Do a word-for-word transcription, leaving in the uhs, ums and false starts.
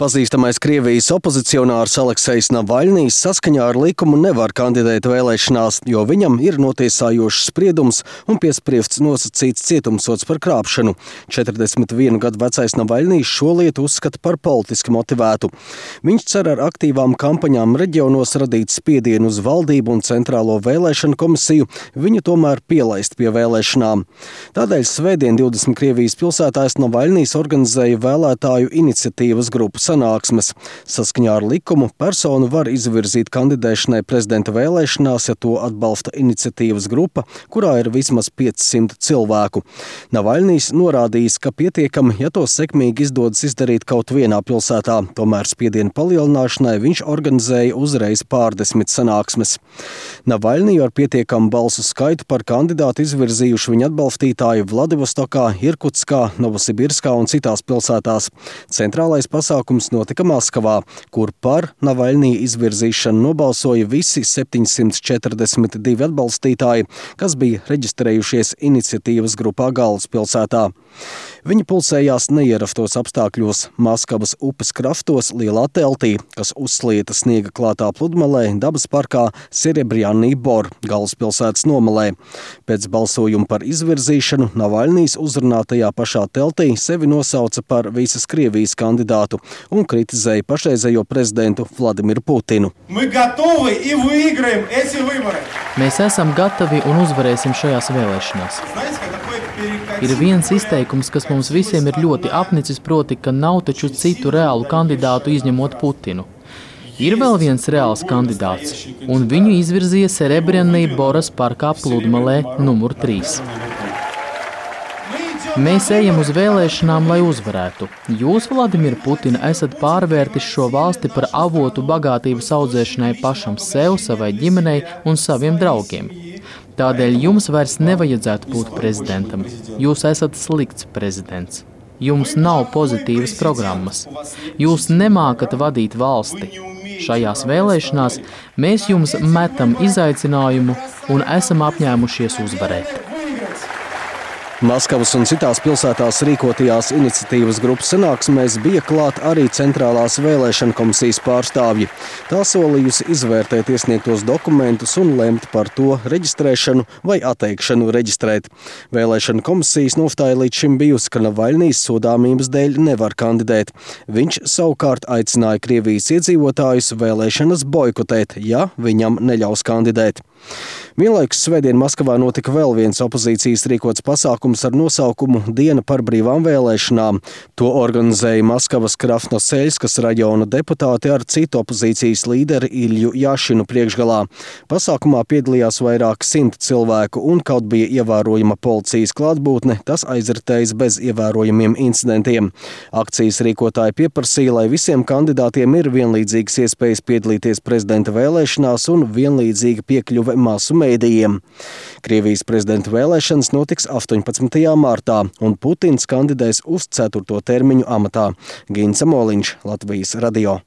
Pazīstamais Krievijas opozicionārs Aleksejs Navaļnijs saskaņā ar likumu nevar kandidēt vēlēšanās, jo viņam ir notiesājošs spriedums un piespriests nosacīts cietumsods par krāpšanu. četrdesmit vienu gadu vecais Navaļnijs šo lietu uzskata par politiski motivētu. Viņš cer ar aktīvām kampaņām reģionos radīt spiedienu uz valdību un centrālo vēlēšanu komisiju, viņu tomēr pielaist pie vēlēšanām. Tādēļ svētdien divdesmit Krievijas pilsētās Navaļnijs organizēja vēlētāju iniciatīvas grupu sanāksmes. Saskaņā ar likumu personu var izvirzīt kandidēšanai prezidenta vēlēšanās, ja to atbalsta iniciatīvas grupa, kurā ir vismaz piecsimt cilvēku. Navaļnijs norādījis, ka pietiekami, ja to sekmīgi izdodas izdarīt kaut vienā pilsētā. Tomēr spiedienu palielināšanai viņš organizēja uzreiz pārdesmit sanāksmes. Navaļniju ar pietiekamu balsu skaitu par kandidātu izvirzījuši viņa atbalstītāji Vladivostokā, Irkutskā, Novosibirskā un citās pilsētās. Centrālais pasākums notika Maskavā, kur par Navaļnija izvirzīšanu nobalsoja visi septiņsimt četrdesmit divi atbalstītāji, kas bija reģistrējušies iniciatīvas grupā galvaspilsētā. Viņi pulcējās neierastos apstākļos Maskavas upes krastos lielā teltī, kas uzslieta sniega klātā pludmalē dabas parkā Serebrjanny Bor galvaspilsētas nomalē. Pēc balsojuma par izvirzīšanu Navaļnijs uzrunātajā pašā teltī sevi nosauca par visas Krievijas kandidātu un kritizēja pašreizējo prezidentu Vladimiru Putinu. Mēs esam gatavi un uzvarēsim šajās vēlēšanās. Ir viens izteikums, kas mums visiem ir ļoti apnicis, proti, ka nav taču citu reālu kandidātu izņemot Putinu. Ir vēl viens reāls kandidāts, un viņu izvirzīja Serebrjanny Boras parkā pludmalē numur trīs. Mēs ejam uz vēlēšanām, lai uzvarētu. Jūs, Vladimir Putina, esat pārvērtis šo valsti par avotu bagātības audzēšanai pašam sev, savai ģimenei un saviem draugiem. Tādēļ jums vairs nevajadzētu būt prezidentam. Jūs esat slikts prezidents. Jums nav pozitīvas programmas. Jūs nemākat vadīt valsti. Šajās vēlēšanās mēs jums metam izaicinājumu un esam apņēmušies uzvarēt. Maskavas un citās pilsētās rīkotajās iniciatīvas grupas sanāksmēs bija klāt arī centrālās vēlēšana komisijas pārstāvji. Tā solījusi izvērtēt iesniegtos dokumentus un lemt par to reģistrēšanu vai atteikšanu reģistrēt. Vēlēšana komisijas nostāja līdz šim bijusi, ka Navaļnijs sodāmības dēļ nevar kandidēt. Viņš savukārt aicināja Krievijas iedzīvotājus vēlēšanas boikotēt, ja viņam neļaus kandidēt. Vienlaikus svētdien Maskavā notika vēl viens opozīcijas rīkots pasākums ar nosaukumu Diena par brīvām vēlēšanām. To organizēja Maskavas Krasnoseļskas rajona deputāti ar citu opozīcijas līderi Ilju Jašinu priekšgalā. Pasākumā piedalījās vairāk simt cilvēku un kaut bija ievērojama policijas klātbūtne, tas aizritējis bez ievērojamiem incidentiem. Akcijas rīkotāji pieprasīja, lai visiem kandidātiem ir vienlīdzīgas iespējas piedalīties prezidenta vēlēšanās un vienlīdzīga piekļuve masu mēdījiem. Krievijas prezidenta vēlēšanas notiks astoņpadsmitajā martā, un Putins kandidēs uz ceturto termiņu amatā. Gins Amoliņš, Latvijas radio.